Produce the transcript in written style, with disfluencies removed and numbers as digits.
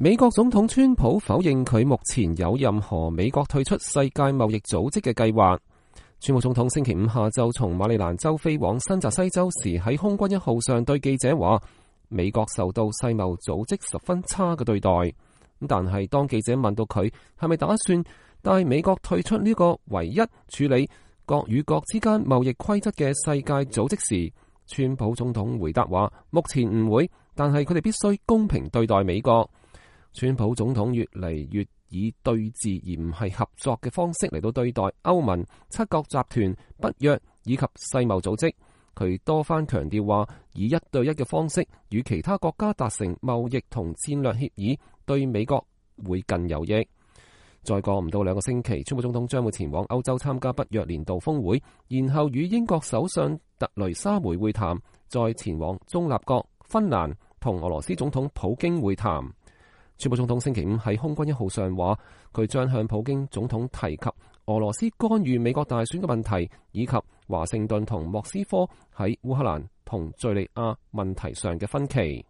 美國總統川普否認佢目前有任何美國退出世界貿易組織嘅計劃。川普總統星期五下晝從馬里蘭州飛往新澤西州時，喺空軍一號上對記者話，美國受到世貿組織十分差嘅對待。但係當記者問到佢係咪打算帶美國退出呢個唯一處理國與國之間貿易規則嘅世界組織時，川普總統回答話，目前唔會，但係佢哋必須公平對待美國。川普總統越嚟越以對峙而唔係合作嘅方式嚟到對待歐盟、七國集團、北約以及世貿組織。佢多番強調話，以一對一嘅方式與其他國家達成貿易同戰略協議，對美國會更有益。再過唔到2個星期，川普總統將會前往歐洲參加北約年度峰會，然後與英國首相特雷莎梅會談，再前往中立國芬蘭同俄羅斯總統普京會談。川普總統星期五喺空軍一號上話，佢將向普京總統提及俄羅斯干預美國大選嘅問題，以及華盛頓同莫斯科喺烏克蘭同敘利亞問題上嘅分歧。